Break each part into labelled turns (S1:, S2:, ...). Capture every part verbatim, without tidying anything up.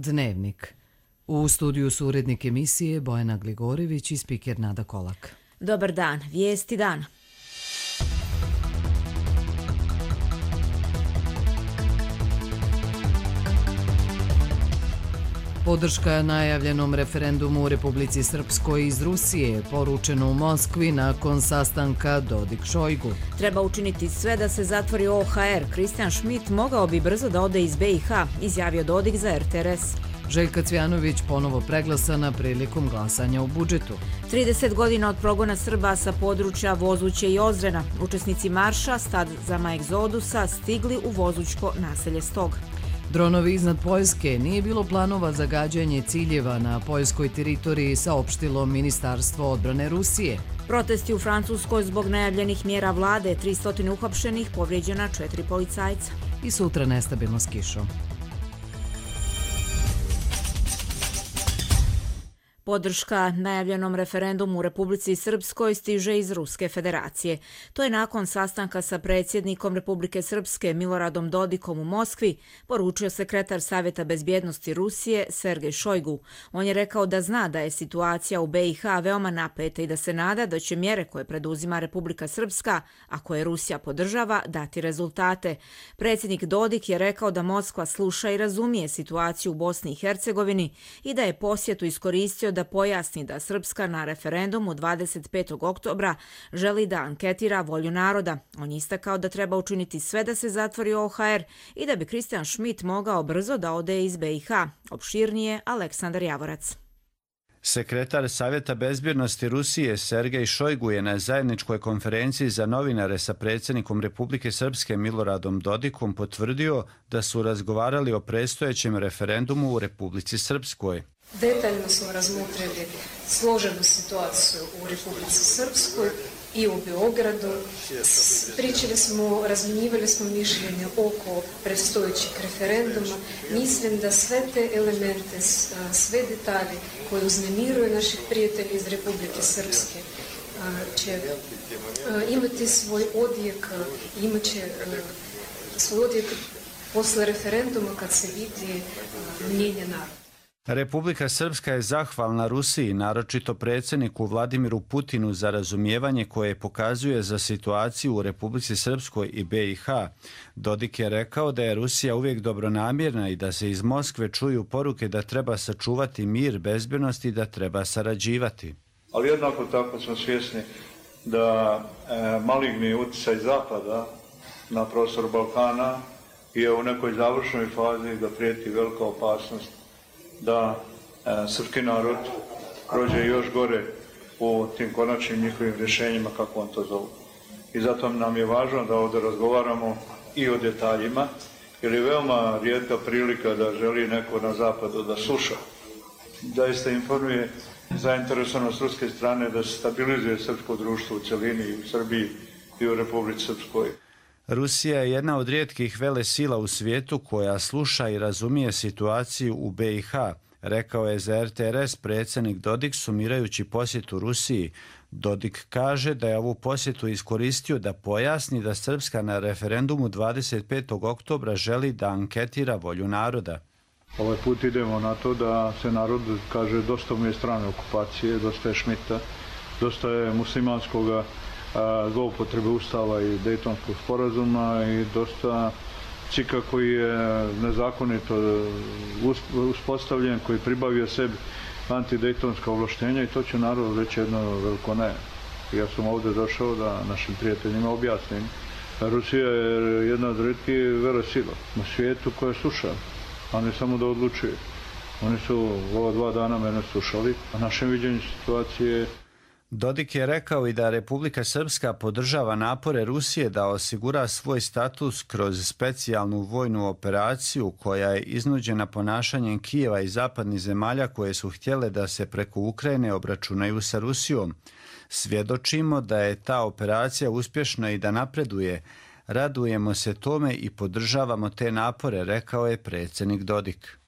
S1: Dnevnik. U studiju su urednik emisije Bojana Gligorivić i spiker Nada Kolak.
S2: Dobar dan, vijesti dana.
S1: Podrška najavljenom referendumu u Republici Srpskoj iz Rusije je poručeno u Moskvi nakon sastanka Dodik-Šojgu.
S2: Treba učiniti sve da se zatvori O H R. Kristijan Šmit mogao bi brzo da ode iz B i H, izjavio Dodik za R T R S.
S1: Željka Cvjanović ponovo preglasana prilikom glasanja u budžetu.
S2: trideset godina od progona Srba sa područja Vozuće i Ozrena. Učesnici marša Stazama egzodusa stigli u Vozućko naselje Stog.
S1: Dronovi iznad Poljske. Nije bilo planova za gađanje ciljeva na poljskoj teritoriji, saopštilo Ministarstvo odbrane Rusije.
S2: Protesti u Francuskoj zbog najavljenih mjera vlade, tristo uhapšenih, povrijeđena četiri policajca.
S1: I sutra nestabilno s kišom.
S2: Podrška najavljenom referendumu u Republici Srpskoj stiže iz Ruske federacije. To je nakon sastanka sa predsjednikom Republike Srpske Miloradom Dodikom u Moskvi poručio sekretar Savjeta bezbjednosti Rusije Sergej Šojgu. On je rekao da zna da je situacija u B i H veoma napeta i da se nada da će mjere koje preduzima Republika Srpska, a koje Rusija podržava, dati rezultate. Predsjednik Dodik je rekao da Moskva sluša i razumije situaciju u Bosni i Hercegovini i da je posjetu iskoristio da pojasni da Srpska na referendumu dvadeset petog oktobra želi da anketira volju naroda. On je istakao da treba učiniti sve da se zatvori O H R i da bi Kristijan Šmit mogao brzo da ode iz B i H. Opširnije Aleksandar Javorac.
S3: Sekretar Savjeta bezbjednosti Rusije Sergej Šojgu je na zajedničkoj konferenciji za novinare sa predsjednikom Republike Srpske Miloradom Dodikom potvrdio da su razgovarali o predstojećem referendumu u Republici Srpskoj.
S4: Detaljno smo razmotrili složenu situaciju u Republici Srpskoj i u Beogradu. Pričali smo, razminjivali smo mišljenje oko predstojećeg referenduma. Mislim da sve te elemente, sve detalje koje uznemiruju naših prijatelja iz Republike Srpske će imati svoj odjek, imat će svoj odjek posle referenduma kad se vidi mnjenje naroda.
S3: Republika Srpska je zahvalna Rusiji, naročito predsjedniku Vladimiru Putinu, za razumijevanje koje pokazuje za situaciju u Republici Srpskoj i B i H. Dodik je rekao da je Rusija uvijek dobronamjerna i da se iz Moskve čuju poruke da treba sačuvati mir, bezbjednost i da treba sarađivati.
S5: Ali jednako tako smo svjesni da e, maligni utjecaj Zapada na prostor Balkana je u nekoj završnoj fazi, da prijeti velika opasnost da e, srpski narod prođe još gore u tim konačnim njihovim rješenjima, kako on to zovu. I zato nam je važno da ovdje razgovaramo i o detaljima, jer je veoma rijetka prilika da želi neko na zapadu da sluša, da iste informuje zainteresovanost ruske strane da se stabilizuje srpsko društvo u cjelini i u Srbiji i u Republici Srpskoj.
S3: Rusija je jedna od rijetkih velesila u svijetu koja sluša i razumije situaciju u B i H, rekao je za R T R S predsjednik Dodik sumirajući posjetu Rusiji. Dodik kaže da je ovu posjetu iskoristio da pojasni da Srpska na referendumu dvadeset petog oktobra želi da anketira volju naroda.
S5: Ovaj put idemo na to da se narod kaže dosta mu je strane okupacije, dosta je Šmita, dosta je muslimanskoga zloupotrebe Ustava i Dejtonskog sporazuma i dosta cika koji je nezakonito uspostavljen, koji pribavio sebi antidejtonska ovlaštenja i to će narod reći jedno veliko ne. Ja sam ovdje došao da našim prijateljima objasnim. Rusija je jedna od rijetkih velesila na svijetu koja sluša, a ne samo da odlučuje. Oni su ova dva dana mene slušali, a našem viđenju situacije.
S3: Dodik je rekao i da Republika Srpska podržava napore Rusije da osigura svoj status kroz specijalnu vojnu operaciju koja je iznuđena ponašanjem Kijeva i zapadnih zemalja koje su htjele da se preko Ukrajine obračunaju sa Rusijom. Svjedočimo da je ta operacija uspješna i da napreduje. Radujemo se tome i podržavamo te napore, rekao je predsjednik Dodik.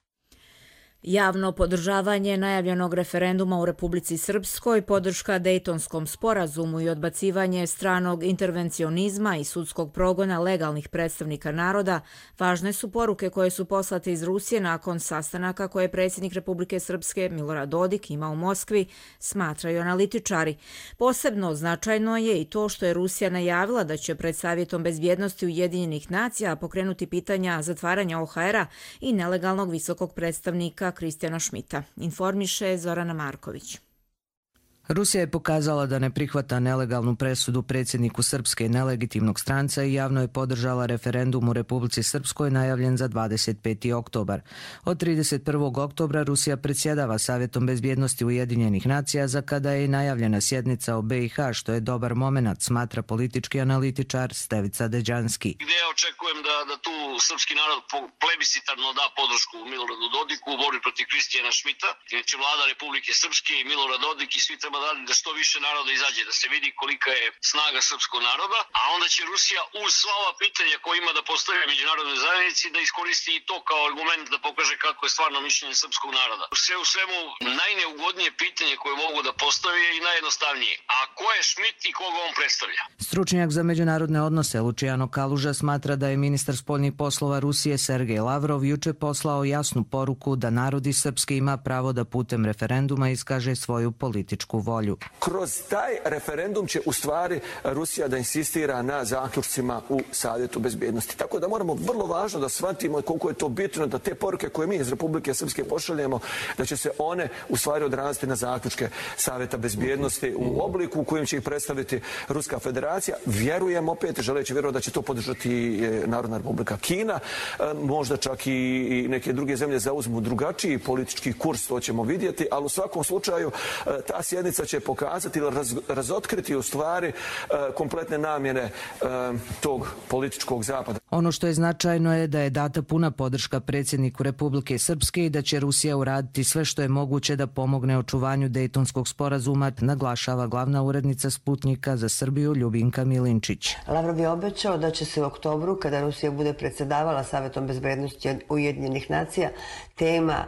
S2: Javno podržavanje najavljenog referenduma u Republici Srpskoj, podrška Dejtonskom sporazumu i odbacivanje stranog intervencionizma i sudskog progona legalnih predstavnika naroda važne su poruke koje su poslate iz Rusije nakon sastanaka koje je predsjednik Republike Srpske Milorad Dodik imao u Moskvi, smatraju analitičari. Posebno značajno je i to što je Rusija najavila da će pred Savjetom bezbjednosti Ujedinjenih nacija pokrenuti pitanja zatvaranja O H R-a i nelegalnog visokog predstavnika Kristijana Šmita, informiše Zorana Marković.
S6: Rusija je pokazala da ne prihvata nelegalnu presudu predsjedniku Srpske nelegitimnog stranca i javno je podržala referendum u Republici Srpskoj najavljen za dvadeset peti oktobar. Od trideset prvog oktobra Rusija predsjedava Savjetom bezbjednosti Ujedinjenih nacija, za kada je i najavljena sjednica o B i H, što je dobar momenat, smatra politički analitičar Stevica Deđanski.
S7: Gdje ja očekujem da, da tu srpski narod plebiscitarno da podršku Miloradu Dodiku u borbi protiv Kristijana Šmita. Znači vlada Republike Srpske i Milorad Dodik i svi treba da što više naroda izađe, da se vidi kolika je snaga srpskog naroda, a onda će Rusija uz sva ova pitanja koje ima da postavi međunarodnoj zajednici da iskoristi i to kao argument da pokaže kako je stvarno mišljenje srpskog naroda. Sve u svemu najneugodnije pitanje koje mogu da postavi je i najjednostavnije. A ko je Šmit i koga on predstavlja?
S6: Stručnjak za međunarodne odnose Luciano Kaluža smatra da je ministar spoljnih poslova Rusije Sergej Lavrov juče poslao jasnu poruku da narodi srpski ima pravo da putem referenduma iskaže svoju političku volju.
S8: Kroz taj referendum će u stvari Rusija da insistira na zaključcima u Savjetu bezbjednosti. Tako da moramo vrlo važno da shvatimo koliko je to bitno da te poruke koje mi iz Republike Srpske pošaljemo, da će se one u stvari odraziti na zaključke Savjeta bezbjednosti u obliku u kojem će ih predstaviti Ruska federacija. Vjerujem opet, želeći vjerovati da će to podržati Narodna Republika Kina. Možda čak i neke druge zemlje zauzmu drugačiji politički kurs, to ćemo vidjeti, ali u svakom slučaju ta sjednica će pokazati ili raz, razotkriti u stvari uh, kompletne namjene uh, tog političkog zapada.
S6: Ono što je značajno je da je data puna podrška predsjedniku Republike Srpske i da će Rusija uraditi sve što je moguće da pomogne očuvanju Dejtonskog sporazuma, naglašava glavna urednica Sputnika za Srbiju Ljubinka Milinčić.
S9: Lavrov je obećao da će se u oktobru, kada Rusija bude predsjedavala Savjetom bezbjednosti Ujedinjenih nacija, tema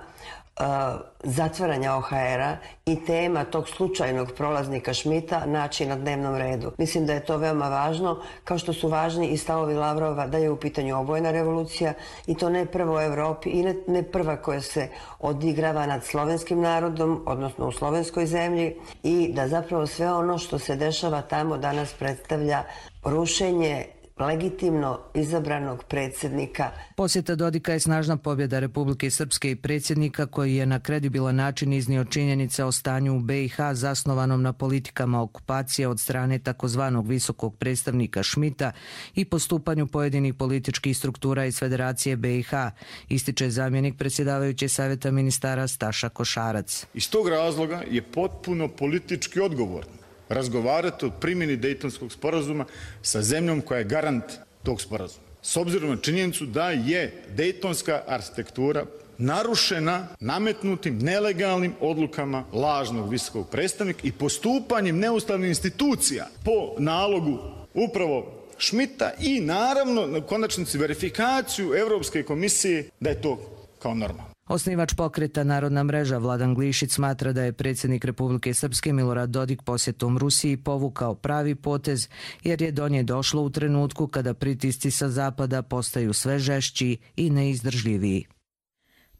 S9: zatvaranja O H R-a i tema tog slučajnog prolaznika Šmita naći na dnevnom redu. Mislim da je to veoma važno, kao što su važni i stavovi Lavrova da je u pitanju obojena revolucija i to ne prvo u Evropi i ne, ne prva koja se odigrava nad slovenskim narodom, odnosno u slovenskoj zemlji, i da zapravo sve ono što se dešava tamo danas predstavlja rušenje legitimno izabranog predsjednika.
S6: Posjeta Dodika je snažna pobjeda Republike Srpske i predsjednika koji je na kredibilan način iznio činjenice o stanju u B i H zasnovanom na politikama okupacije od strane takozvanog visokog predstavnika Šmita i postupanju pojedinih političkih struktura iz Federacije B i H, ističe zamjenik predsjedavajuće Savjeta ministara Staša Košarac.
S10: Iz tog razloga je potpuno politički odgovorno razgovarati o primjeni Dejtonskog sporazuma sa zemljom koja je garant tog sporazuma. S obzirom na činjenicu da je Dejtonska arhitektura narušena nametnutim nelegalnim odlukama lažnog visokog predstavnika i postupanjem neustavnih institucija po nalogu upravo Šmita i naravno na konačnici verifikaciju Europske komisije da je to kao normalno.
S6: Osnivač pokreta Narodna mreža Vladan Glišić smatra da je predsjednik Republike Srpske Milorad Dodik posjetom Rusiji povukao pravi potez jer je do nje došlo u trenutku kada pritisci sa zapada postaju sve žešći i neizdržljiviji.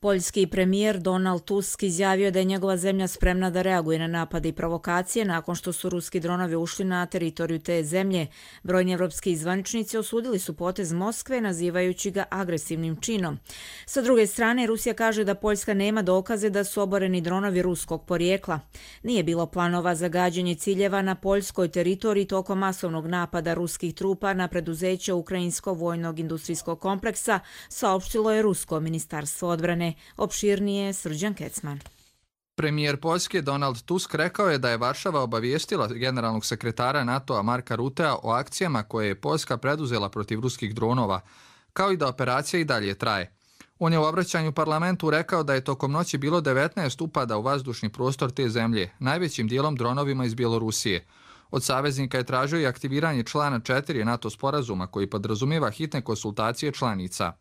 S2: Poljski premijer Donald Tusk izjavio da je njegova zemlja spremna da reaguje na napade i provokacije nakon što su ruski dronovi ušli na teritoriju te zemlje. Brojni evropski zvaničnici osudili su potez Moskve nazivajući ga agresivnim činom. Sa druge strane, Rusija kaže da Poljska nema dokaze da su oboreni dronovi ruskog porijekla. Nije bilo planova za gađanje ciljeva na poljskoj teritoriji tokom masovnog napada ruskih trupa na preduzeće Ukrajinskog vojnog industrijskog kompleksa, saopštilo je Rusko ministarstvo odbrane. Opširnije Srđan Kecman.
S11: Premijer Poljske Donald Tusk rekao je da je Varšava obavijestila generalnog sekretara NATO-a Marka Rutea o akcijama koje je Poljska preduzela protiv ruskih dronova, kao i da operacija i dalje traje. On je u obraćanju parlamentu rekao da je tokom noći bilo devetnaest upada u vazdušni prostor te zemlje, najvećim dijelom dronovima iz Bjelorusije. Od saveznika je tražio i aktiviranje člana četiri NATO sporazuma koji podrazumijeva hitne konsultacije članica.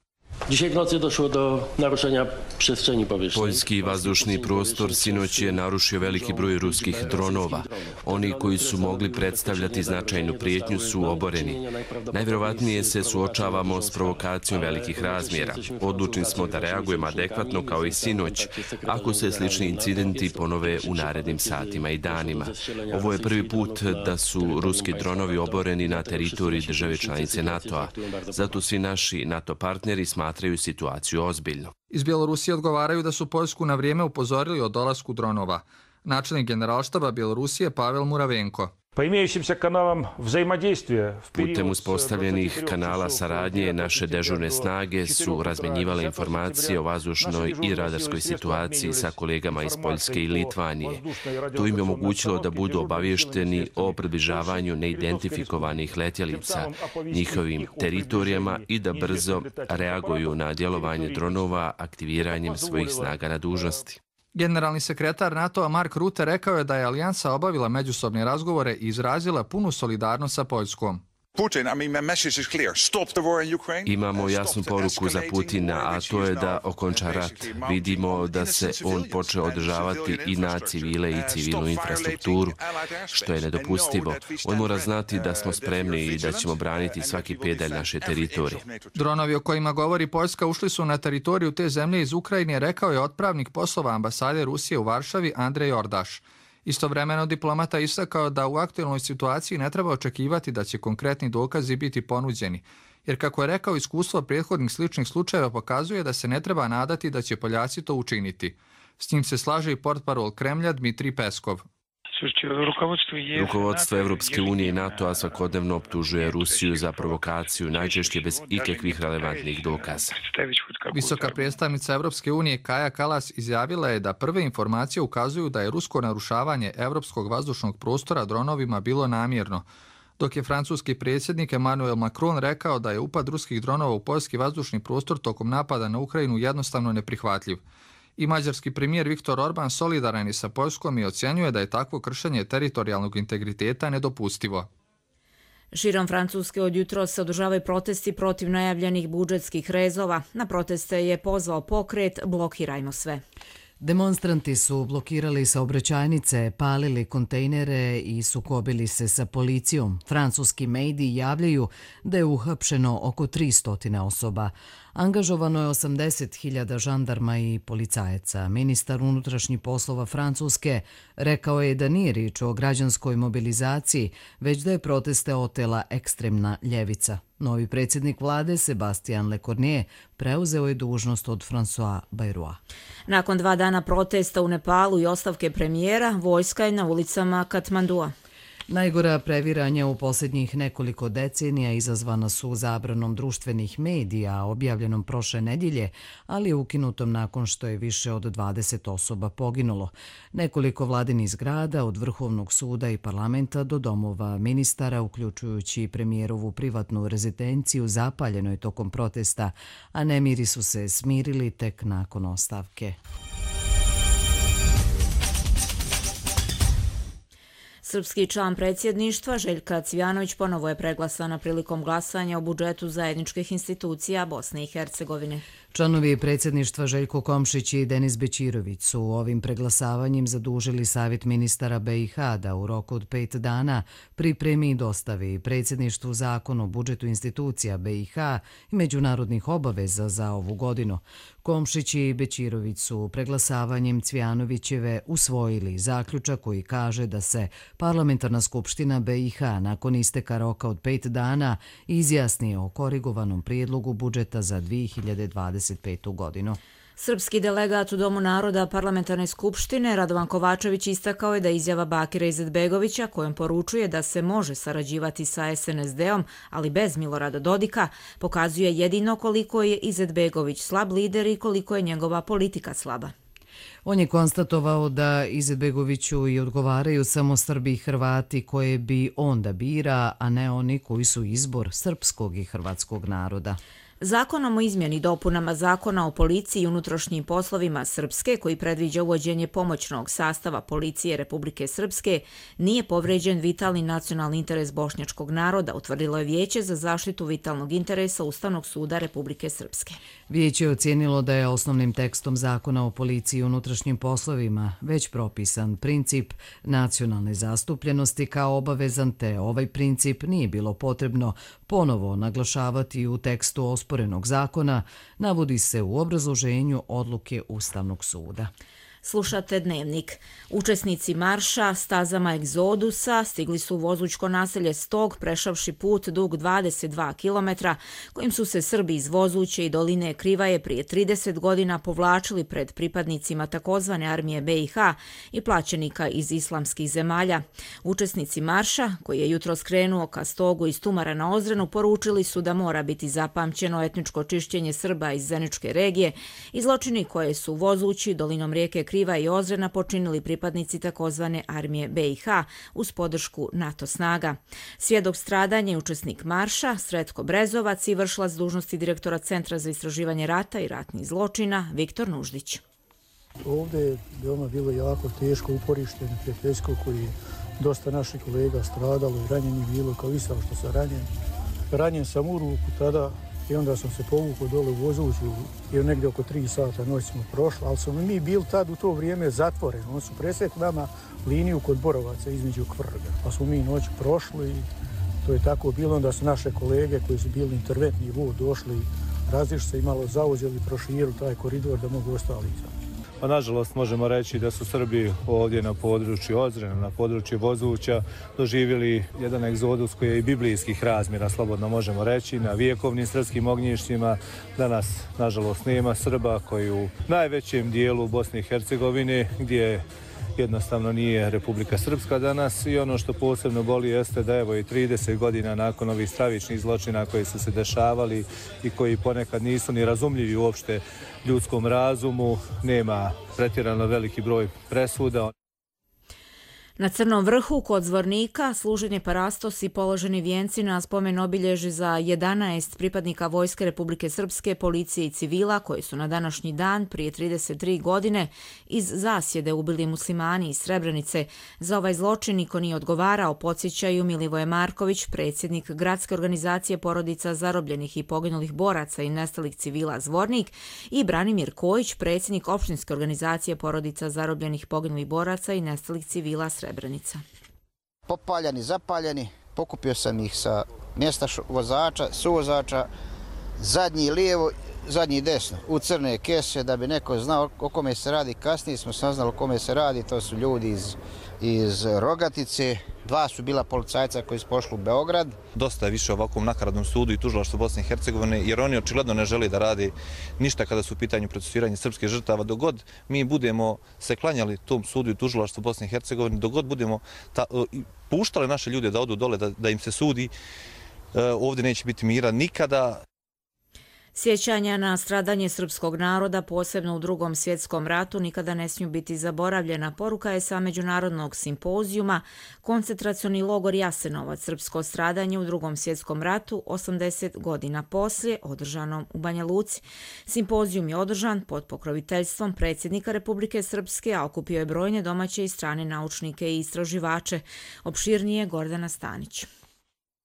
S12: Dzisiaj w nocy došlo do narušenia przestrzeni powietrznej.
S13: Poljski vazdušni prostor sinoć je narušio veliki broj ruskih dronova. Oni koji su mogli predstavljati značajnu prijetnju su oboreni. Najvjerovatnije se suočavamo s provokacijom velikih razmjera. Odlučni smo da reagujemo adekvatno kao i sinoć, ako se slični incidenti ponove u narednim satima i danima. Ovo je prvi put da su ruski dronovi oboreni na teritoriji države članice NATO-a. Zato svi naši NATO partneri smatraju situaciju ozbiljno.
S11: Iz Bjelorusije odgovaraju da su Poljsku na vrijeme upozorili o dolasku dronova. Načelnik generalštaba Bjelorusije Pavel Muravenko.
S13: Putem uspostavljenih kanala saradnje naše dežurne snage su razmenjivale informacije o vazdušnoj i radarskoj situaciji sa kolegama iz Poljske i Litvanije. To im je omogućilo da budu obavješteni o približavanju neidentifikovanih letjelica njihovim teritorijama i da brzo reaguju na djelovanje dronova aktiviranjem svojih snaga na dužnosti.
S11: Generalni sekretar NATO-a Mark Rutte rekao je da je alijansa obavila međusobne razgovore i izrazila punu solidarnost sa Poljskom.
S13: Imamo jasnu poruku za Putina, a to je da okonča rat. Vidimo da se on počeo održavati i na civile i civilnu infrastrukturu, što je nedopustivo. On mora znati da smo spremni i da ćemo braniti svaki pedalj naše teritorije.
S11: Dronovi o kojima govori Poljska ušli su na teritoriju te zemlje iz Ukrajine, rekao je otpravnik poslova ambasade Rusije u Varšavi Andrej Ordaš. Istovremeno diplomata istakao da u aktualnoj situaciji ne treba očekivati da će konkretni dokazi biti ponuđeni, jer kako je rekao, iskustvo prethodnih sličnih slučajeva pokazuje da se ne treba nadati da će Poljaci to učiniti. S njim se slaže i portparol Kremlja Dmitrij Peskov.
S13: Rukovodstvo Evropske unije i NATO-a svakodnevno optužuje Rusiju za provokaciju, najčešće bez ikakvih relevantnih dokaza.
S11: Visoka predstavnica Evropske unije Kaja Kallas izjavila je da prve informacije ukazuju da je rusko narušavanje evropskog vazdušnog prostora dronovima bilo namjerno, dok je francuski predsjednik Emmanuel Macron rekao da je upad ruskih dronova u poljski vazdušni prostor tokom napada na Ukrajinu jednostavno neprihvatljiv. I mađarski premijer Viktor Orban solidaran je sa Poljskom i ocjenjuje da je takvo kršenje teritorijalnog integriteta nedopustivo.
S2: Širom Francuske od jutros se održavaju protesti protiv najavljenih budžetskih rezova. Na proteste je pozvao pokret Blokirajmo sve.
S1: Demonstranti su blokirali saobraćajnice, palili kontejnere i sukobili se sa policijom. Francuski mediji javljaju da je uhapšeno oko tristo osoba. Angažovano je osamdeset hiljada žandarma i policajaca. Ministar unutrašnjih poslova Francuske rekao je da nije riječ o građanskoj mobilizaciji, već da je proteste otela ekstremna ljevica. Novi predsjednik vlade Sebastien Lecornu preuzeo je dužnost od François Bayrou.
S2: Nakon dva dana protesta u Nepalu i ostavke premijera, vojska je na ulicama Katmandua.
S1: Najgora previranja u posljednjih nekoliko decenija izazvana su zabranom društvenih medija, objavljenom prošle nedjelje, ali ukinutom nakon što je više od dvadeset osoba poginulo. Nekoliko vladinih zgrada, od Vrhovnog suda i parlamenta do domova ministara, uključujući i premijerovu privatnu rezidenciju, zapaljeno je tokom protesta, a nemiri su se smirili tek nakon ostavke.
S2: Srpski član predsjedništva Željka Cvijanović ponovo je preglasana prilikom glasanja o budžetu zajedničkih institucija Bosne i Hercegovine.
S1: Članovi predsjedništva Željko Komšić i Denis Bećirović su ovim preglasavanjem zadužili Savjet ministara be i ha da u roku od pet dana pripremi i dostavi predsjedništvu zakon o budžetu institucija be i ha i međunarodnih obaveza za ovu godinu. Komšić i Bećirović su preglasavanjem Cvijanovićeve usvojili zaključak koji kaže da se Parlamentarna skupština be i ha nakon isteka roka od pet dana izjasni o korigovanom prijedlogu budžeta za dvije hiljade dvadeset petu. godinu.
S2: Srpski delegat u Domu naroda Parlamentarne skupštine Radovan Kovačević istakao je da izjava Bakira Izetbegovića, kojom poručuje da se može sarađivati sa es en es de-om, ali bez Milorada Dodika, pokazuje jedino koliko je Izetbegović slab lider i koliko je njegova politika slaba.
S1: On je konstatovao da Izetbegoviću i odgovaraju samo Srbi i Hrvati koje bi on da bira, a ne oni koji su izbor srpskog i hrvatskog naroda.
S2: Zakonom o izmjeni i dopunama Zakona o policiji i unutrašnjim poslovima Srpske, koji predviđa uvođenje pomoćnog sastava policije Republike Srpske, nije povređen vitalni nacionalni interes bošnjačkog naroda, utvrdilo je Vijeće za zaštitu vitalnog interesa Ustavnog suda Republike Srpske.
S1: Vijeće je ocijenilo da je osnovnim tekstom Zakona o policiji i unutrašnjim poslovima već propisan princip nacionalne zastupljenosti kao obavezan, te ovaj princip nije bilo potrebno ponovo naglašavati u tekstu osporenog zakona, navodi se u obrazloženju odluke Ustavnog suda.
S2: Slušate Dnevnik. Učesnici marša stazama Egzodusa stigli su u Vozućko naselje Stog, prešavši put dug dvadeset dva kilometra, kojim su se Srbi iz Vozuće i doline Krivaje prije trideset godina povlačili pred pripadnicima takozvane armije B i H i plaćenika iz islamskih zemalja. Učesnici marša, koji je jutro skrenuo ka Stogu iz Tumara na Ozrenu, poručili su da mora biti zapamćeno etničko čišćenje Srba iz Zeničke regije i zločini koje su u Vozući, dolinom rijeke Kriva i Ozrena počinili pripadnici takozvane armije B i H uz podršku NATO snaga. Svjedok stradanja i učesnik marša, Sretko Brezovac i vršilac dužnosti direktora Centra za istraživanje rata i ratnih zločina, Viktor Nuždić.
S14: Ovdje je veoma bilo jako teško uporište neprijateljsko, koji je dosta naših kolega stradalo i ranjeni bilo, kao i sam što sam ranjen. Ranjen sam u ruku tada i onda sam se povukao dole u Vozuću i negdje oko tri sata noć smo prošli, ali smo mi bili tad u to vrijeme zatvoreni. Oni su presjekli nama liniju kod Borovaca između Kvrga, pa smo mi noć prošli i to je tako bilo. Onda su naše kolege koji su bili interventni vod došli, različili se i malo zauzeli, proširili taj koridor da mogu ostali izaći.
S15: Pa nažalost možemo reći da su Srbi ovdje na području Ozrena, na području Vozuća doživjeli jedan egzodus koji je i biblijskih razmjera, slobodno možemo reći, na vjekovnim srpskim ognjištima. Danas nažalost nema Srba koji u najvećem dijelu Bosne i Hercegovine, gdje jednostavno nije Republika Srpska danas, i ono što posebno boli jeste da evo i trideset godina nakon ovih stravičnih zločina koji su se dešavali i koji ponekad nisu ni razumljivi uopšte ljudskom razumu, nema pretjerano veliki broj presuda.
S2: Na Crnom vrhu kod Zvornika služen je parastos i položeni vijenci na spomen obilježi za jedanaest pripadnika Vojske Republike Srpske, policije i civila koji su na današnji dan prije trideset tri godine iz zasjede ubili muslimani iz Srebrenice. Za ovaj zločin niko nije odgovarao, podsjećaju Milivoje Marković, predsjednik Gradske organizacije porodica zarobljenih i poginulih boraca i nestalih civila Zvornik, i Branimir Kojić, predsjednik opštinske organizacije porodica zarobljenih poginulih boraca i nestalih civila Srebrenica. Srebrenica.
S16: Popaljani, zapaljeni, pokupio sam ih sa mjesta vozača, suvozača, zadnji lijevo, zadnji desno, u crne kese, da bi neko znao o kome se radi. Kasnije smo saznali o kome se radi, to su ljudi iz, iz Rogatice, dva su bila policajca koji su pošli u Beograd.
S17: Dosta je više ovakvom nakaradnom sudu i tužilaštvu Bosne i Hercegovine, jer oni očigledno ne žele da radi ništa kada su u pitanju procesuiranja srpskih žrtava. Dogod mi budemo se klanjali tom sudu i tužilaštvu Bosne i Hercegovine, dogod budemo ta, puštali naše ljude da odu dole, da, da im se sudi, ovdje neće biti mira nikada.
S2: Sjećanja na stradanje srpskog naroda, posebno u Drugom svjetskom ratu, nikada ne smiju biti zaboravljena. Poruka je sa međunarodnog simpozijuma Koncentracioni logor Jasenovac, srpsko stradanje u Drugom svjetskom ratu, osamdeset godina poslije, održanom u Banja Luci. Simpozijum je održan pod pokroviteljstvom predsjednika Republike Srpske, a okupio je brojne domaće i strane naučnike i istraživače. Opširnije Gordana Stanić.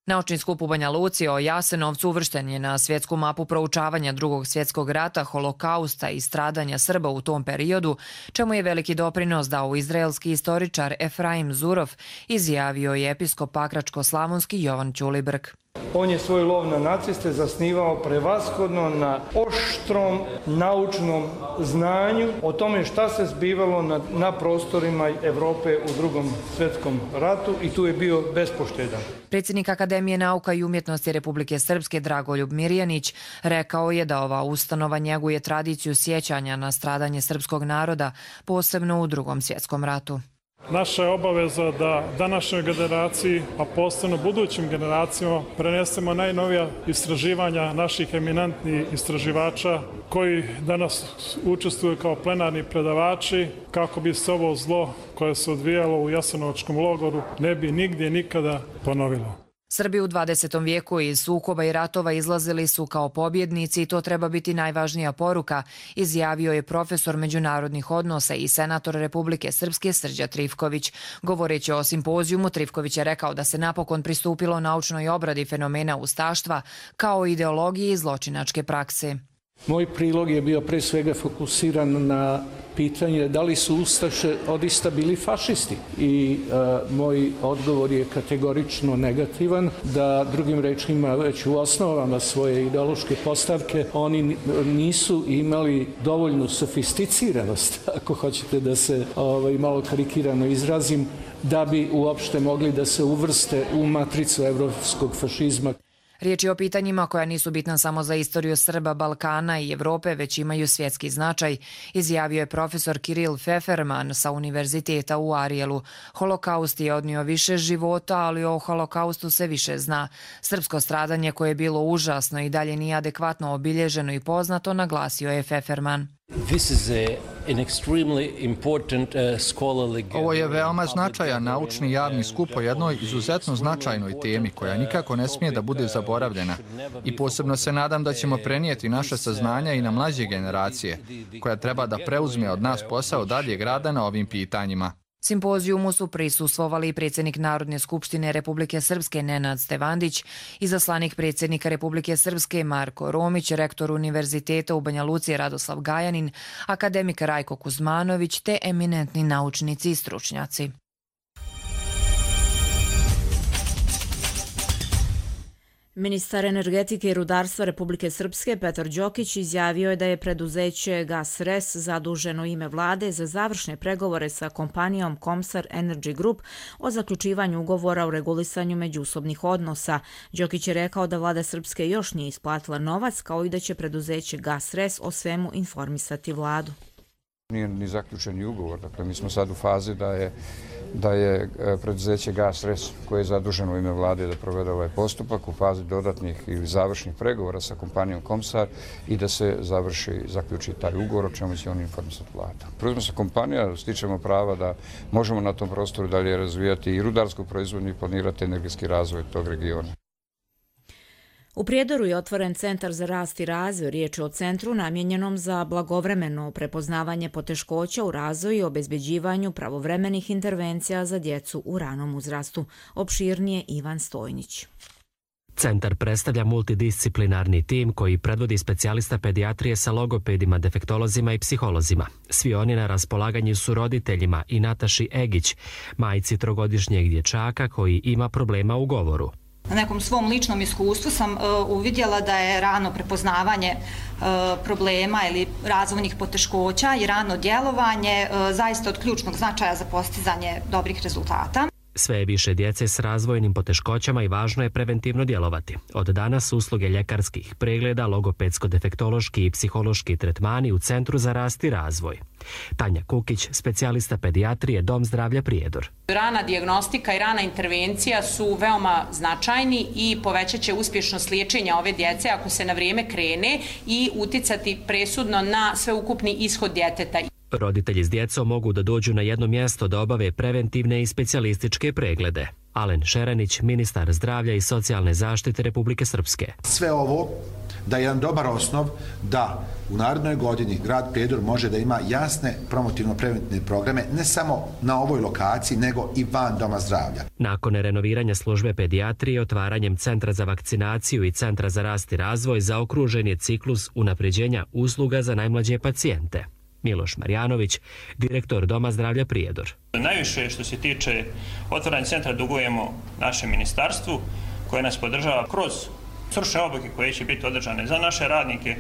S18: Naučni skup u Banja Luci o Jasenovcu uvršten je na svjetsku mapu proučavanja Drugog svjetskog rata, holokausta i stradanja Srba u tom periodu, čemu je veliki doprinos dao izraelski istoričar Efraim Zurov, izjavio je episkop Pakračko-slavonski Jovan Ćulibrk.
S19: On je svoj lov na naciste zasnivao prevashodno na oštrom naučnom znanju o tome šta se zbivalo na, na prostorima Evrope u Drugom svjetskom ratu i tu je bio bespoštedan.
S18: Predsjednik Akademije nauka i umjetnosti Republike Srpske Dragoljub Mirjanić rekao je da ova ustanova njeguje tradiciju sjećanja na stradanje srpskog naroda, posebno u Drugom svjetskom ratu.
S20: Naša je obaveza da današnjoj generaciji, a posebno budućim generacijama, prenesemo najnovija istraživanja naših eminentnih istraživača koji danas učestvuju kao plenarni predavači kako bi se ovo zlo koje se odvijalo u Jasenovačkom logoru ne bi nigdje nikada ponovilo.
S18: Srbi u dvadesetom vijeku iz sukoba i ratova izlazili su kao pobjednici i to treba biti najvažnija poruka, izjavio je profesor međunarodnih odnosa i senator Republike Srpske Srđa Trifković. Govoreći o simpozijumu, Trifković je rekao da se napokon pristupilo naučnoj obradi fenomena ustaštva kao ideologiji i zločinačke prakse.
S21: Moj prilog je bio pre svega fokusiran na pitanje da li su ustaše odista bili fašisti i e, moj odgovor je kategorično negativan, da drugim rečima već u osnovama svoje ideološke postavke oni nisu imali dovoljnu sofisticiranost, ako hoćete da se ovaj, malo karikirano izrazim, da bi uopšte mogli da se uvrste u matricu evropskog fašizma.
S18: Riječ je o pitanjima koja nisu bitna samo za istoriju Srba, Balkana i Evrope, već imaju svjetski značaj, izjavio je profesor Kiril Feferman sa Univerziteta u Arijelu. Holokaust je odnio više života, ali o holokaustu se više zna. Srpsko stradanje koje je bilo užasno i dalje nije adekvatno obilježeno i poznato, naglasio je Feferman.
S11: Ovo je veoma značajan naučni javni skup o jednoj izuzetno značajnoj temi koja nikako ne smije da bude zaboravljena. I posebno se nadam da ćemo prenijeti naše saznanja i na mlađe generacije, koja treba da preuzme od nas posao daljeg rada na ovim pitanjima.
S18: Simpozijumu su prisustvovali i predsjednik Narodne skupštine Republike Srpske Nenad Stevandić, izaslanik predsjednika Republike Srpske Marko Romić, rektor Univerziteta u Banja Luci Radoslav Gajanin, akademik Rajko Kuzmanović te eminentni naučnici i stručnjaci.
S2: Ministar energetike i rudarstva Republike Srpske Petar Đokić izjavio je da je preduzeće GasRes zaduženo ime vlade za završne pregovore sa kompanijom Comsar Energy Group o zaključivanju ugovora o regulisanju međusobnih odnosa. Đokić je rekao da vlada Srpske još nije isplatila novac, kao i da će preduzeće GasRes o svemu informisati vladu.
S22: Nije ni zaključeni ugovor, dakle mi smo sad u fazi da je da je preduzeće GasRes koje je zaduženo u ime vlade da provede ovaj postupak u fazi dodatnih ili završnih pregovora sa kompanijom Comsar i da se završi, zaključi taj ugovor o čemu će on informisati vlada. Preuzme se kompanija, stičemo prava da možemo na tom prostoru dalje razvijati i rudarsku proizvodnju i planirati energetski razvoj tog regiona.
S2: U Prijedoru je otvoren Centar za rast i razvoj. Riječ je o centru namijenjenom za blagovremeno prepoznavanje poteškoća u razvoju i obezbeđivanju pravovremenih intervencija za djecu u ranom uzrastu. Opširnije Ivan Stojnić.
S23: Centar predstavlja multidisciplinarni tim koji predvodi specijalista pedijatrije sa logopedima, defektolozima i psiholozima. Svi oni na raspolaganju su roditeljima i Nataši Egić, majci trogodišnjeg dječaka koji ima problema u govoru.
S24: Na nekom svom ličnom iskustvu sam uh, uvidjela da je rano prepoznavanje uh, problema ili razvojnih poteškoća i rano djelovanje uh, zaista od ključnog značaja za postizanje dobrih rezultata.
S23: Sve je više djece s razvojnim poteškoćama i važno je preventivno djelovati. Od danas usluge ljekarskih pregleda, logopedsko-defektološki i psihološki tretmani u Centru za rast i razvoj. Tanja Kukić, specijalista pedijatrije, Dom zdravlja Prijedor.
S25: Rana dijagnostika i rana intervencija su veoma značajni i povećat će uspješnost liječenja ove djece ako se na vrijeme krene i uticati presudno na sveukupni ishod djeteta.
S23: Roditelji s djecom mogu da dođu na jedno mjesto da obave preventivne i specijalističke preglede. Alen Šerenić, ministar zdravlja i socijalne zaštite Republike Srpske.
S26: Sve ovo da je jedan dobar osnov da u narednoj godini grad Prijedor može da ima jasne promotivno-preventivne programe ne samo na ovoj lokaciji nego i van doma zdravlja.
S23: Nakon renoviranja službe pedijatrije, otvaranjem Centra za vakcinaciju i Centra za rast i razvoj zaokružen je ciklus unapređenja usluga za najmlađe pacijente. Miloš Marjanović, direktor Doma zdravlja Prijedor.
S27: Najviše što se tiče otvaranja centra dugujemo našem ministarstvu koje nas podržava kroz stručne obuke koje će biti održane za naše radnike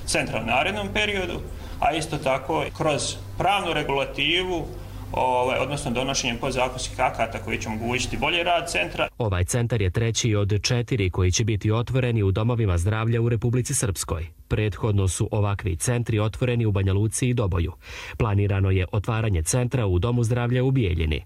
S27: centra u narednom periodu, a isto tako kroz pravnu regulativu, Ovaj, odnosno donošenjem podzakonskih akata koji će omogućiti bolji rad centra.
S23: Ovaj centar je treći od četiri koji će biti otvoreni u domovima zdravlja u Republici Srpskoj. Prethodno su ovakvi centri otvoreni u Banja Luci i Doboju. Planirano je otvaranje centra u Domu zdravlja u Bijeljini.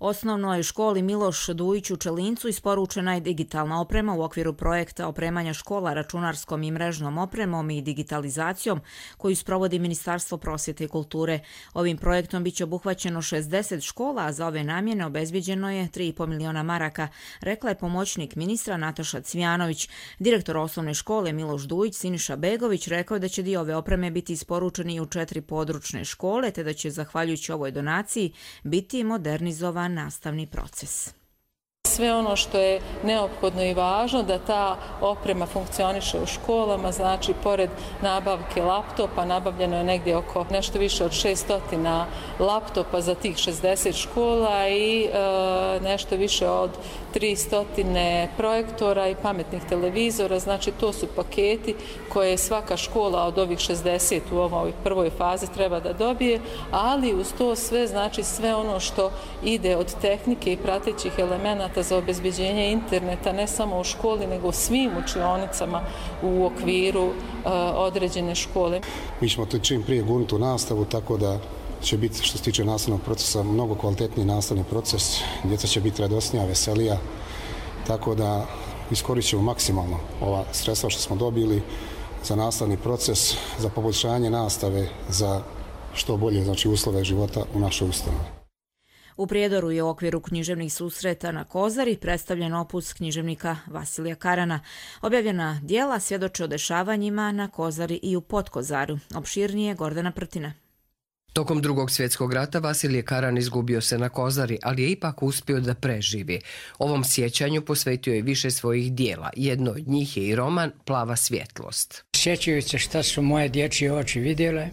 S2: Osnovnoj školi Miloš Dujić u Čelincu isporučena je digitalna oprema u okviru projekta opremanja škola računarskom i mrežnom opremom i digitalizacijom koju sprovodi Ministarstvo prosvjete i kulture. Ovim projektom biće obuhvaćeno šezdeset škola, a za ove namjene obezbjeđeno je tri i po miliona maraka, rekla je pomoćnik ministra Nataša Cvijanović. Direktor osnovne škole Miloš Dujić Siniša Begović rekao je da će dio ove opreme biti isporučeni u četiri područne škole, te da će zahvaljujući ovoj donaciji biti modernizovan nastavni proces.
S3: Sve ono što je neophodno i važno da ta oprema funkcioniše u školama, znači pored nabavke laptopa, nabavljeno je negdje oko nešto više od šesto laptopa za tih šezdeset škola i e, nešto više od tristo projektora i pametnih televizora, znači to su paketi koje svaka škola od ovih šezdeset u ovoj prvoj fazi treba da dobije, ali uz to sve, znači sve ono što ide od tehnike i pratećih elemenata za obezbeđenje interneta ne samo u školi nego u svim učionicama u okviru uh, određene škole.
S4: Mi ćemo to čim prije gurnuti u nastavu, tako da će biti što se tiče nastavnog procesa mnogo kvalitetniji nastavni proces, djeca će biti radosnija, veselija, tako da iskoristit ćemo maksimalno ova sredstva što smo dobili za nastavni proces, za poboljšanje nastave, za što bolje, znači, uslove života u našoj ustanovi.
S2: U Prijedoru je u okviru književnih susreta na Kozari predstavljen opus književnika Vasilija Karana. Objavljena dijela svjedoče o dešavanjima na Kozari i u Potkozaru. Opširnije Gordana Prtina.
S5: Tokom drugog svjetskog rata Vasilije Karan izgubio se na Kozari, ali je ipak uspio da preživi. Ovom sjećanju posvetio je više svojih dijela. Jedno od njih je i roman Plava svjetlost.
S7: Sjećajući se šta su moje dječje oči vidjele,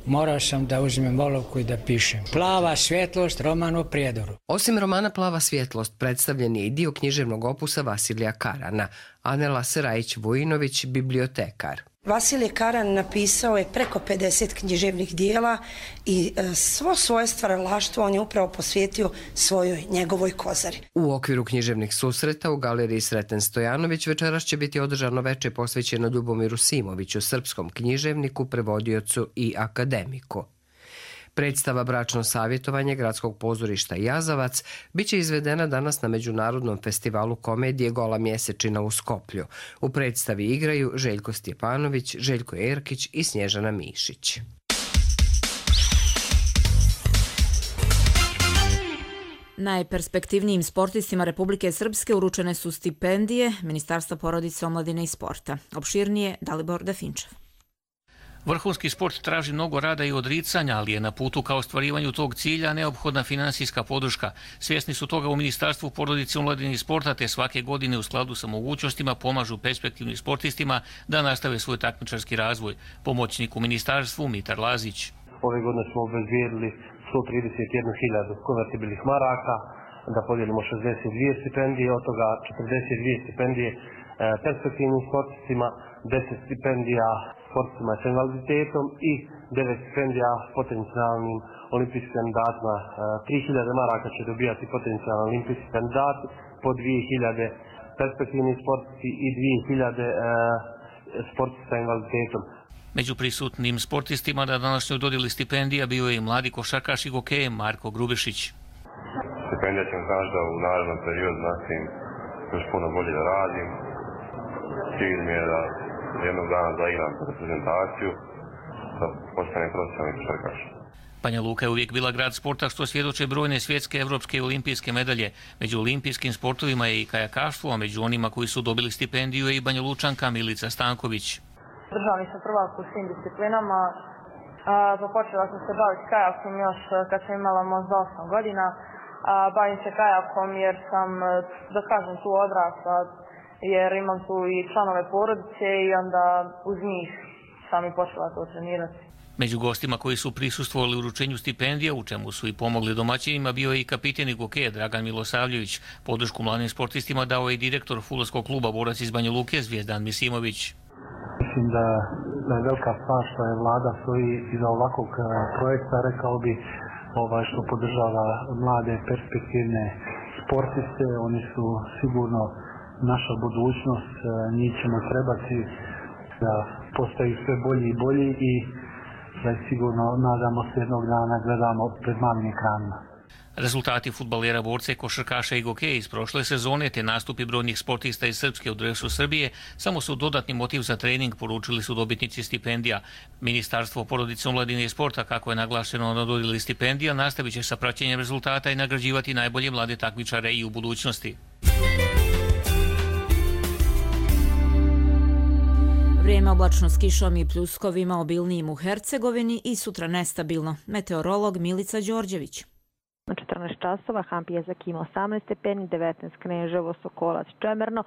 S7: morao sam da uzmem olovku i da pišem. Plava svjetlost, roman o Prijedoru.
S5: Osim romana Plava svjetlost, predstavljen je i dio književnog opusa Vasilija Karana. Anela Serajić-Vujinović, bibliotekar.
S8: Vasilije Karan napisao je preko pedeset književnih dijela i svo svoje stvaralaštvo on je upravo posvetio svojoj njegovoj Kozari.
S5: U okviru književnih susreta u galeriji Sreten Stojanović večeras će biti održano veče posvećeno Ljubomiru Simoviću, srpskom književniku, prevodiocu i akademiku. Predstava Bračno savjetovanje Gradskog pozorišta Jazavac biće izvedena danas na Međunarodnom festivalu komedije Gola mjesečina u Skoplju. U predstavi igraju Željko Stjepanović, Željko Erkić i Snježana Mišić.
S2: Najperspektivnijim sportistima Republike Srpske uručene su stipendije Ministarstva porodice, omladine i sporta. Opširnije Dalibor Definčev.
S9: Vrhunski sport traži mnogo rada i odricanja, ali je na putu ka ostvarivanju tog cilja neophodna finansijska podrška. Svjesni su toga u Ministarstvu porodice, omladine i sporta, te svake godine u skladu sa mogućnostima pomažu perspektivnim sportistima da nastave svoj takmičarski razvoj. Pomoćnik u Ministarstvu Mitar Lazić.
S10: Ove godine smo obezbijedili sto trideset jednu hiljadu konvertibilnih maraka, da podijelimo šezdeset dvije stipendije, od toga četrdeset dvije stipendije perspektivnim sportistima, deset stipendija sportistima s invaliditetom i devet stipendija potencijalnim olimpijskim kandidatima. tri hiljade maraka će dobijati potencijalni olimpijski kandidati, po dvije hiljade perspektivni sportisti i dvije hiljade sportisti sa invaliditetom.
S9: Među prisutnim sportistima na današnjoj dodjeli stipendija bio je i mladi košarkaš i gokej Marko Grubešić.
S28: Stipendija će mi znači da u narednom periodu nastavim još puno bolje da radim. Cilj mi je da jednog dana zaigram reprezentaciju, da postanem profesionalni košarkaš.
S9: Banja Luka je uvijek bila grad sporta, što svjedoče brojne svjetske, evropske i olimpijske medalje. Među olimpijskim sportovima je i kajakaštvo, a među onima koji su dobili stipendiju je i Banja Lučanka Milica Stanković.
S29: Državni sam prvak u svim disciplinama. Pa počela sam se baviti kajakom još kad sam imala možda osam godina. Bavim se kajakom jer sam, da kažem, tu odrasla, jer imam tu i članove porodice i onda uz njih sam i počela to trenirati.
S9: Među gostima koji su prisustvovali uručenju stipendija, u čemu su i pomogli domaćinima, bio je i kapiten gokeja Dragan Milosavljević. Podršku mladim sportistima dao je i direktor fudbalskog kluba Borac iz Banja Luke Zvijezdan Misimović.
S10: Mislim da, da je velika stvar što je vlada stoji iza ovakvog projekta, rekao bi, ovaj, što podržava mlade perspektivne sportiste. Oni su sigurno naša budućnost, njih ćemo trebati da postaju sve bolji i bolji i da sigurno nadamo se jednog dana gledamo pred malim ekranima.
S9: Rezultati fudbalera, borce, košarkaša i gokeja iz prošle sezone te nastupi brojnih sportista iz Srpske u dresu Srbije samo su dodatni motiv za trening, poručili su dobitnici stipendija. Ministarstvo porodice, omladine i sporta, kako je naglašeno na dodjeli stipendija, nastavit će sa praćenjem rezultata i nagrađivati najbolje mlade takmičare i u budućnosti.
S2: Vrijeme oblačno s kišom i pljuskovima obilnijim u Hercegovini i sutra nestabilno. Meteorolog Milica Đorđević.
S1: Na četrnaest časova Hampijezak ima osamnaest stepeni, devetnaest Kneževo, Sokolac, Čemerno,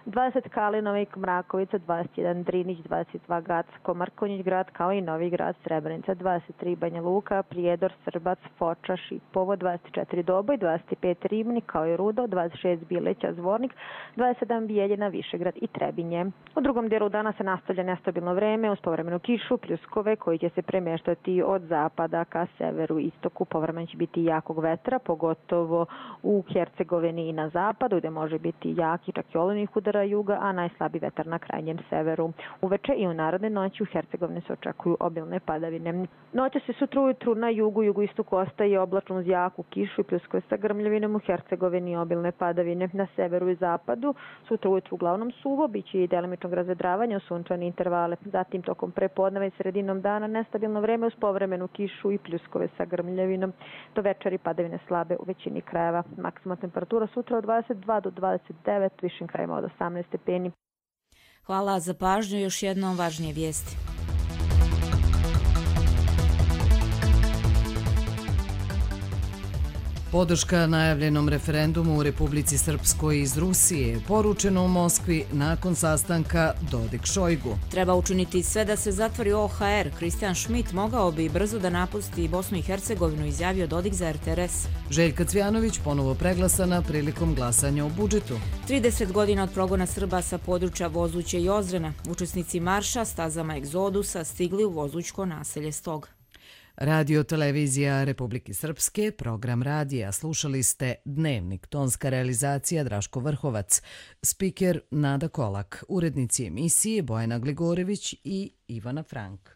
S1: dvadeset Kalinovik, Mrakovica, dvadeset jedan Drinić, dvadeset dva Gacko, Mrkonjić grad, kao i Novi grad, Srebrenica, dvadeset tri Banja Luka, Prijedor, Srbac, Foča, Šipovo, dvadeset četiri Doboj, dvadeset pet Ribnik, kao i Rudo, dvadeset šest Bileća, Zvornik, dvadeset sedam Bijeljina, Višegrad i Trebinje. U drugom dijelu dana se nastavlja nestabilno vreme uz povremenu kišu, pljuskove koji će se premještati od zapada ka severu i istoku. Povremeno će biti jakog vetra, pogotovo u Hercegovini i na zapadu, gde može biti jaki čak i olujnih udara juga, a najslabiji vetar na krajnjem severu. Uveče i u narodne noći u Hercegovini se očekuju obilne padavine. Noće se sutra ujutru na jugu, jugoistoku ostaje oblačno uz jaku kišu i pljuskove sa grmljavinom, u Hercegovini obilne padavine. Na severu i zapadu sutra ujutru uglavnom suvo, biće i delimičnog razvedravanja u sunčane intervale. Zatim tokom prepodneva i sredinom dana nestabilno vreme uz povremenu kišu i pljuskove sa grmljavinom. Do večeri padavine slabe u većini krajeva. Maksimalna temperatura sutra od dvadeset dva do dvadeset devet, višim krajima od osamnaest stepeni.
S2: Hvala za pažnju. Još jednom važnije vijesti.
S6: Podrška najavljenom referendumu u Republici Srpskoj iz Rusije je poručeno u Moskvi nakon sastanka Dodik-Šojgu.
S2: Treba učiniti sve da se zatvori O H R. Kristijan Šmit mogao bi brzo da napusti Bosnu i Hercegovinu, izjavio Dodik za R T R S.
S6: Željka Cvjanović ponovo preglasana prilikom glasanja o budžetu.
S2: trideset godina od progona Srba sa područja Vozuće i Ozrena. Učesnici marša stazama Egzodusa stigli u vozućko naselje Stog.
S6: Radio televizija Republike Srpske, program radija. Slušali ste Dnevnik, tonska realizacija Draško Vrhovac, spiker Nada Kolak, urednici emisije Bojana Gligorević i Ivana Frank.